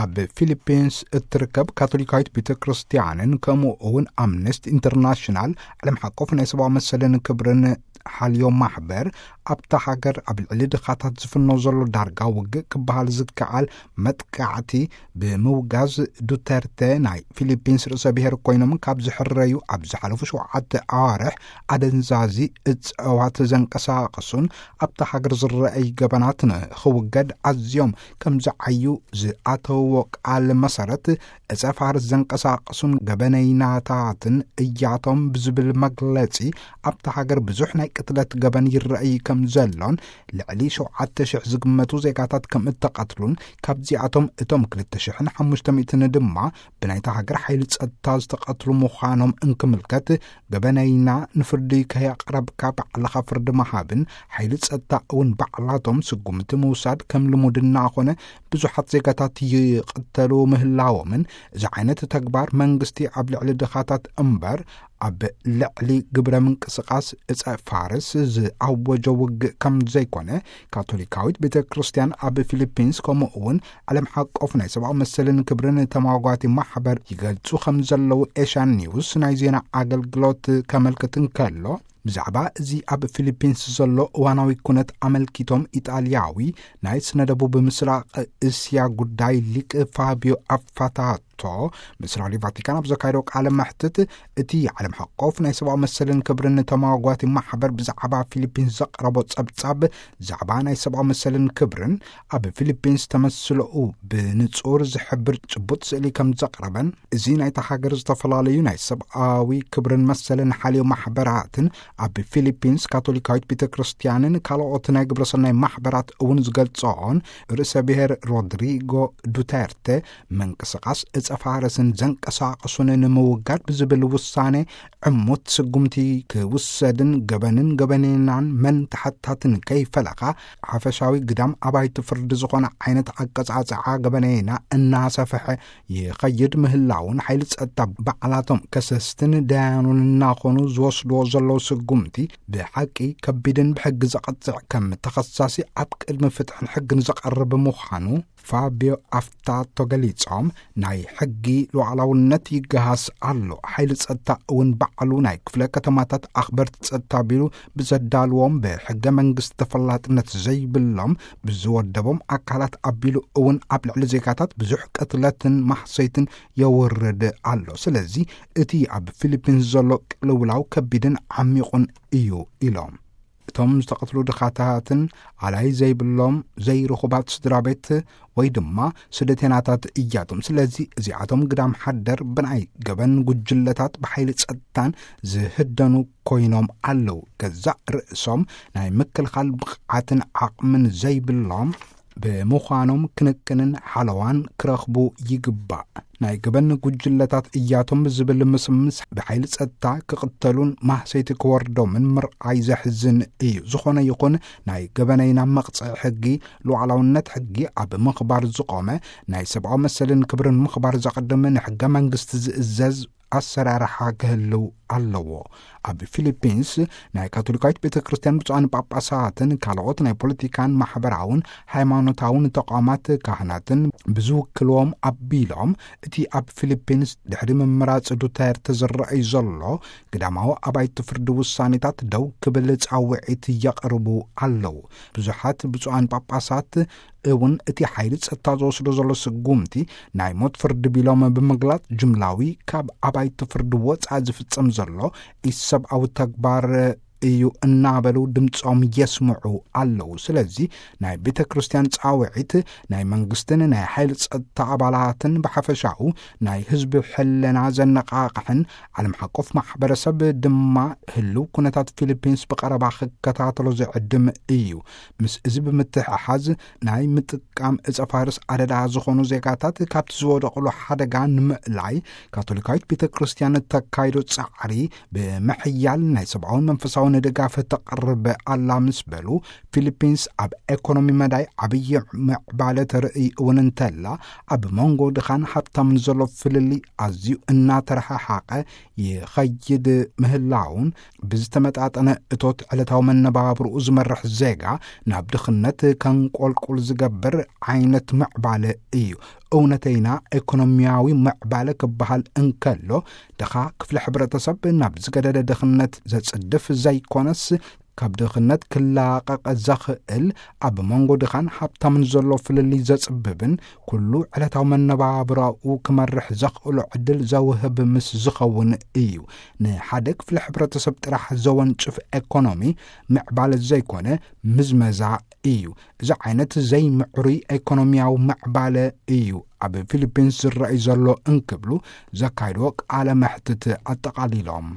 ኣብ ፊሊፒንስ እትርከብ ካቶሊካዊት ቤተ ክርስቲያንን ከምኡ እውን ኣምነስቲ ኢንተርናሽናል፣ ዓለም ሓቆፍ ናይ ሰብኣዊ መሰልን ክብርን ሓልዮ ማሕበር፣ ኣብታ ሃገር ኣብ ልዕሊ ድኻታት ዝፍኖ ዘሎ ዳርጋ ውግእ ክበሃል ዝከኣል መጥቃዕቲ ብምውጋዝ፣ ዱተርተ ናይ ፊሊፒንስ ርእሰ ብሔር ኮይኖም ካብ ዝሕረዩ ኣብ ዝሓለፉ ሸውዓተ ኣዋርሕ ኣደንዛዚ እፅዋት ዘንቀሳቐሱን ኣብታ ሃገር ዝረኣይ ገበናት ንኽውገድ ኣዝዮም ከም ዝዓዩ ዝኣተውዎ ቃል መሰረት፣ ዕፀ ፋርስ ዘንቀሳቐሱን ገበነይናታትን እያቶም ብዝብል መግለጺ፣ ኣብታ ሃገር ብዙሕ ናይ ቅትለት ገበን ይረኣይ ከም ዘሎን፣ ልዕሊ ሸውዓተ ሽሕ ዝግመቱ ዜጋታት ከም እተቐትሉን፣ ካብዚኣቶም እቶም ክልተ ሽሕን ሓሙሽተ ሚእትን ድማ ብናይታ ሃገር ሓይሊ ጸጥታ ዝተቐትሉ ምዃኖም እንክምልከት፣ ገበነይና ንፍርዲ ከየቕረብካ ባዕልኻ ፍርዲ ምሃብን፣ ሓይሊ ጸጥታ እውን ባዕላቶም ስጉምቲ ምውሳድ ከም ልሙድ እናኾነ፣ ብዙሓት ዜጋታት ይቕተሉ ምህላዎምን፣ እዚ ዓይነት ተግባር መንግስቲ ኣብ ልዕሊ ድኻታት እምበር ኣብ ልዕሊ ግብረ ምንቅስቓስ እፀ ፋርስ ዝኣወጀ ውግእ ከም ዘይኮነ፣ ካቶሊካዊት ቤተ ክርስቲያን ኣብ ፊሊፒንስ፣ ከምኡ እውን ዓለም ሓቆፍ ናይ ሰብኣዊ መሰልን ክብርን ተሟጓቲ ማሕበር ይገልጹ ከም ዘለዉ ኤሽያን ኒውስ ናይ ዜና ኣገልግሎት ከመልክት እንከሎ፣ ብዛዕባ እዚ ኣብ ፊሊፒንስ ዘሎ እዋናዊ ኩነት ኣመልኪቶም፣ ኢጣልያዊ ናይ ስነ ደቡብ ምስራቕ እስያ ጉዳይ ሊቅ ፋቢዮ ኣፋታቶ ምስ ራድዮ ቫቲካን ኣብ ዘካየዶ ቃለ መሕትት፣ እቲ ዓለም ሓቆፍ ናይ ሰብኣዊ መሰልን ክብርን ተማጓቲ ማሕበር ብዛዕባ ፊሊፒንስ ዘቕረቦ ጸብጻብ፣ ዛዕባ ናይ ሰብኣዊ መሰልን ክብርን ኣብ ፊሊፒንስ ተመስለኡ ብንጹር ዝሕብር ጭቡጥ ስእሊ ከም ዘቕረበን፣ እዚ ናይታ ሃገር ዝተፈላለዩ ናይ ሰብኣዊ ክብርን መሰልን ሓልዮ ማሕበራትን ኣብ ፊሊፒንስ ካቶሊካዊት ቤተ ክርስቲያንን ካልኦት ናይ ግብረሰናይ ማሕበራት እውን ዝገልጸኦን፣ ርእሰ ብሔር ሮድሪጎ ዱተርተ ምንቅስቓስ እፀ ፋርስን ዘንቀሳቐሱን ንምውጋድ ብዝብል ውሳኔ ዕሙት ስጉምቲ ክውሰድን፣ ገበንን ገበኔናን መን ተሓታትን ከይፈለኻ፣ ሓፈሻዊ ግዳም ኣባይቲ ፍርዲ ዝኾነ ዓይነት ኣቀጻጽዓ ገበኔና እናሰፍሐ ይኸይድ ምህላውን፣ ሓይሊ ጸጥታ ባዕላቶም ከሰስትን ደያኑን እናኾኑ ዝወስድዎ ዘለዉ ስጉምቲ ብሓቂ ከቢድን ብሕጊ ዘቐጽዕ፣ ከም ተኸሳሲ ኣብ ቅድሚ ፍትሕን ሕግን ዝቐርብ ምዃኑ ፋቢዮ ኣፍታቶ ገሊጾም፣ ናይ ሕጊ ሉዓላውነት ይገሃስ ኣሎ፣ ሓይሊ ጸጥታ እውን ባዕሉ ናይ ክፍለ ከተማታት ኣኽበርቲ ጸጥታ ቢሉ ብዘዳልዎም ብሕገ መንግስቲ ተፈላጥነት ዘይብሎም ብዝወደቦም ኣካላት ኣቢሉ እውን ኣብ ልዕሊ ዜጋታት ብዙሕ ቅትለትን ማህሰይትን የውርድ ኣሎ። ስለዚ እቲ ኣብ ፊሊፒንስ ዘሎ ቅልውላው ከቢድን ዓሚቑን እዩ ኢሎም። እቶም ዝተቐትሉ ድኻታትን ኣላይ ዘይብሎም ዘይርኹባት ስድራ ቤት ወይ ድማ ስደተናታት እያቶም። ስለዚ እዚኣቶም ግዳም ሓደር ብናይ ገበን ጉጅለታት ብሓይሊ ጸጥታን ዝህደኑ ኮይኖም ኣለዉ። ገዛእ ርእሶም ናይ ምክልኻል ብቕዓትን ዓቕምን ዘይብሎም ብምዃኖም፣ ክንክንን ሓለዋን ክረኽቡ ይግባእ። ናይ ገበን ጉጅለታት እያቶም ብዝብል ምስምስ፣ ብሓይሊ ጸጥታ ክቕተሉን ማህሰይቲ ክወርዶምን ምርኣይ ዘሕዝን እዩ። ዝኾነ ይኹን ናይ ገበነይና መቕጽዒ ሕጊ፣ ሉዓላውነት ሕጊ ኣብ ምኽባር ዝቖመ፣ ናይ ሰብኣዊ መሰልን ክብርን ምኽባር ዘቐድም፣ ንሕገ መንግስቲ ዝእዘዝ ኣሰራርሓ ክህልው ኣለዎ። ኣብ ፊሊፒንስ ናይ ካቶሊካዊት ቤተ ክርስቲያን ብፁዓን ጳጳሳትን ካልኦት ናይ ፖለቲካን ማሕበራውን ሃይማኖታውን ተቋማት ካህናትን ብዝውክልዎም ኣቢሎም፣ እቲ ኣብ ፊሊፒንስ ድሕሪ ምምራጽ ዱተርተ ዝረኣይ ዘሎ ግዳማዊ ኣባይቲ ፍርዲ ውሳኔታት ደው ክብል ጻውዒት የቕርቡ ኣለዉ። ብዙሓት ብፁዓን ጳጳሳት እውን እቲ ሓይሊ ጸጥታ ዝወስዶ ዘሎ ስጉምቲ ናይ ሞት ፍርዲ ቢሎም ብምግላጽ፣ ጅምላዊ ካብ ኣባይቲ ፍርዲ ወጻኢ ዝፍጸም ዘሎ ኢሰብኣዊ ተግባር እዩ እናበሉ ድምጾም የስምዑ ኣለዉ። ስለዚ ናይ ቤተ ክርስቲያን ጻውዒት ናይ መንግስትን ናይ ሓይሊ ጸጥታ ኣባላትን ብሓፈሻኡ ናይ ህዝቢ ሕልና ዘነቓቕሕን ዓለም ሓቆፍ ማሕበረሰብ ድማ ህልው ኩነታት ፊሊፒንስ ብቐረባ ክከታተሎ ዝዕድም እዩ። ምስ እዚ ብምትሕሓዝ ናይ ምጥቃም እጸ ፋርስ ኣደዳ ዝኾኑ ዜጋታት ካብቲ ዝወደቕሉ ሓደጋ ንምእላይ ካቶሊካዊት ቤተ ክርስቲያን እተካይዶ ጻዕሪ ብምሕያል ናይ ሰብኣውን መንፈሳውን ድጋፍ ተቕርብ ኣላ ምስ በሉ፣ ፊሊፒንስ ኣብ ኤኮኖሚ መዳይ ዓብዪ ምዕባለ ተርኢ እውን እንተላ፣ ኣብ መንጎ ድኻን ሃብታምን ዘሎ ፍልልይ ኣዝዩ እናተረሓሓቐ ይኸይድ ምህላውን፣ ብዝተመጣጠነ እቶት ዕለታዊ መነባብርኡ ዝመርሕ ዜጋ ናብ ድኽነት ከንቆልቁል ዝገብር ዓይነት ምዕባለ እዩ። እውነተይና ኤኮኖሚያዊ ምዕባለ ክበሃል እንከሎ፣ ድኻ ክፍለ ሕብረተሰብ ናብ ዝገደደ ድኽነት ዘጽድፍ ዘይኮነስ፣ ካብ ድኽነት ክላቐቕ ዘኽእል፣ ኣብ መንጎ ድኻን ሃብታምን ዘሎ ፍልልይ ዘጽብብን ኩሉ ዕለታዊ መነባብራኡ ክመርሕ ዘኽእሎ ዕድል ዘውህብ ምስ ዝኸውን እዩ። ንሓደ ክፍለ ሕብረተሰብ ጥራሕ ዘወንጭፍ ኤኮኖሚ ምዕባለ ዘይኮነ፣ ምዝመዛ እዩ። እዚ ዓይነት ዘይምዕሩይ ኤኮኖሚያዊ ምዕባለ እዩ ኣብ ፊሊፒንስ ዝረኣይ ዘሎ እንክብሉ ዘካይድዎ ቃለ መሕትት ኣጠቓሊሎም።